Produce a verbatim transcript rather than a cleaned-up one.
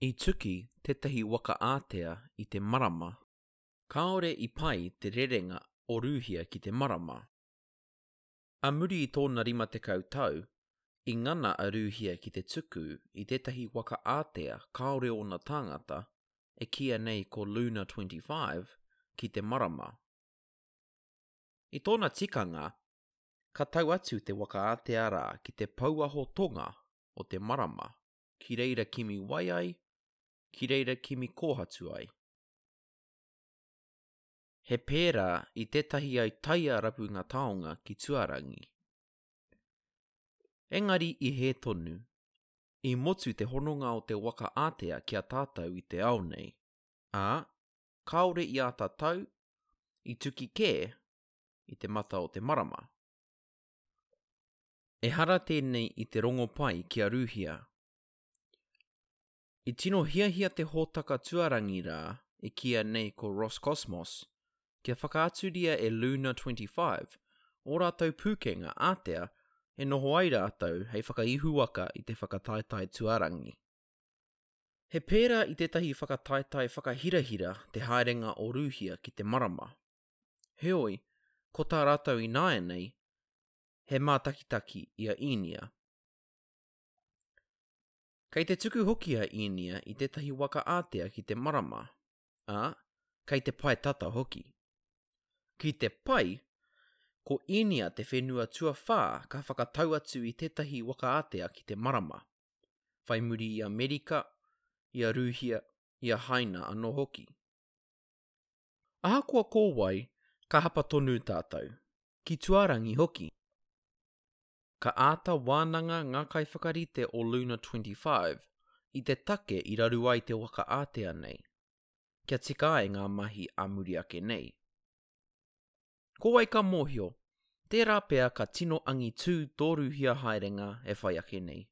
I tuki tētahi waka ātea i te Marama. Kāore i pai te rerenga o Rūhia ki te Marama. Ā muri i tōna rima tekau tau, i ngana a Rūhia ki te tuku i tētahi waka ātea kāore ōna tāngata, e kīia nei ko Luna twenty-five, ki te Marama. I tōna tikanga, ka tau atu te waka ātea rā ki te pouaho tonga o te Marama, ki reira kimi wai ai, ki reira kimi kōhatu ai. He pērā i tētahi autaia rapunga taonga ki tuarangi. Engari i hē tonu. I motu te hononga o te waka ātea ki a tātou i te ao nei, ā, kāore i āta tau, i tuki kē i te mata o te Marama. Ehara tēnei i te rongopai ki a Rūhia. I tino hiahia te hōtaka tuarangi rā e kīia nei ko Roscosmos kia whakaaturia e Luna twenty-five ō rātou pūkenga ātea e noho ai rātou hei whakaihuwaka i te whakataetae tuarangi. He pērā i tētahi whakataetae whakahirahira te haerenga o Rūhia ki te Marama. Heoi, ko tā rātou ināianei, he mātakitaki i a Īnia. Kei te tuku hoki a Īnia i tētahi waka ātea ki te Marama, ā, kei te pae tata hoki. Ki te pai, ko Īnia te whenua tuawhā ka whakatau atu i tētahi waka ātea ki te Marama, whai muri i Amerika, i a Rūhia, i a Haina anō hoki. Ahakoa ko wai, ka hapa tonu tātou, ki tuarangi hoki. Ka āta wānanga ngā kaiwhakarite o Luna twenty-five i te take i raru ai te waka ātea nei, kia tika ai ngā mahi ā muri ake nei. Ko wai ka mōhio, tērā pea ka tino angitū tō Rūhia haerenga e whai ake nei.